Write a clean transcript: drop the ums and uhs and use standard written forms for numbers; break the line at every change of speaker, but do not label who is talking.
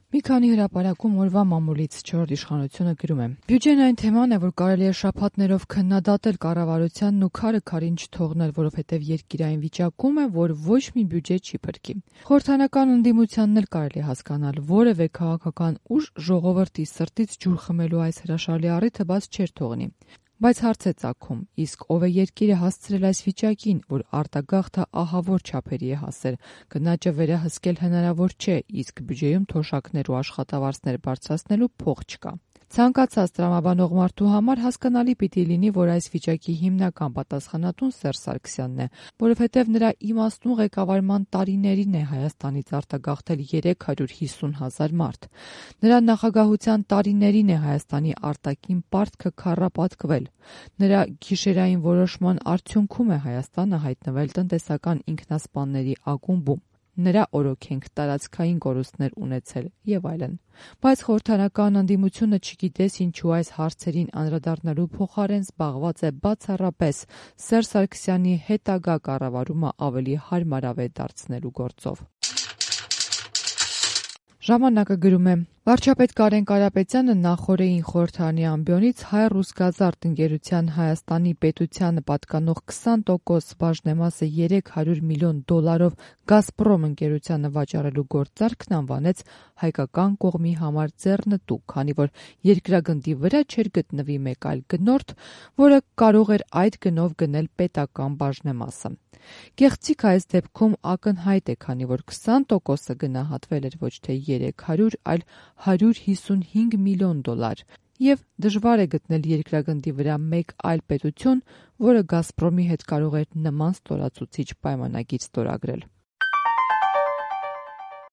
Մի քանի հրապարակում օրվա մամուլից 4-րդ իշխանությունը գրում է. Բյուջեն այն թեման է, որ կարելի է շաբաթներով քննադատել կառավարությանն ու քարը քարին չթողնել, որովհետև երկիրային վիճակում է, որ ոչ մի բյուջե չի փրկի։ Խորհրդանական ընդդիմությանն էլ կարելի է հասկանալ, որևէ քաղաքական ուժ ժողովրդի սրտից ջուր խմելու այս հրաշալի առիթը բաց չէր թողնի։ Բայց հարց է ծագում, իսկ ով է երկիրը հասցրել այս վիճակին, որ արտագաղթը ահավոր չափերի է հասել, գնաճը վերահսկել հնարավոր չէ, իսկ բյուջեում թոշակներ ու աշխատավարձներ բարձրացնելու փող չկա։ Ցանկացած տրամաբանող մարդու համար հասկանալի պիտի լինի, որ այս վիճակի հիմնական պատասխանատուն Սերժ Սարգսյանն է, որովհետև նրա իմաստուն ղեկավարման տարիներին է Հայաստանից արտագաղթել 350,000 մարդ։ Նրա նախագահության տարիներին է Հայաստանի արտաքին պարտքը քառապատկվել։ Նրա գիշերային որոշման արդյունքում է Հայաստանը հայտնվել տնտեսական ինքնասպանների ակումբում։ Նրա օրոքենք տարածքային կորուստներ ունեցել եւ այլն։ Բայց խորհրդանական ընդդիմությունը չգիտես ինչու այս հարցերին անդրադառնալու փոխարեն զբաղված է բացառապես Սերժ Սարգսյանի հետագա կառավարումը ավելի հարմարավետ դարձնելու գործով։ Ժամանակը գրում է. Վարչապետ Կարեն Կարապետյանը նախօրեին խորհրդարանի ամբիոնից Հայ-Ռուսգազարդ ընկերության Հայաստանի պետությանը պատկանող 20% բաժնեմասը $300 միլիոն Գազպրոմ ընկերությանը վաճառելու գործարքն անվանեց հայկական կողմի համար ձեռնտու, քանի որ երկրագնդի վրա չէր գտնվի մեկ այլ գնորդ, որը կարող էր այդ գնով գնել պետական բաժնեմասը։ Գեղեցիկ այս դեպքում ակնհայտ է, քանի որ 20%-ը գնահատվել էր ոչ թե 300, այլ $155 միլիոն, եւ դժվար է գտնել երկրագնդի վրա մեկ այլ պետություն, որը Գազպրոմի հետ կարող էր նման ստորացուցիչ պայմանագիր ստորագրել։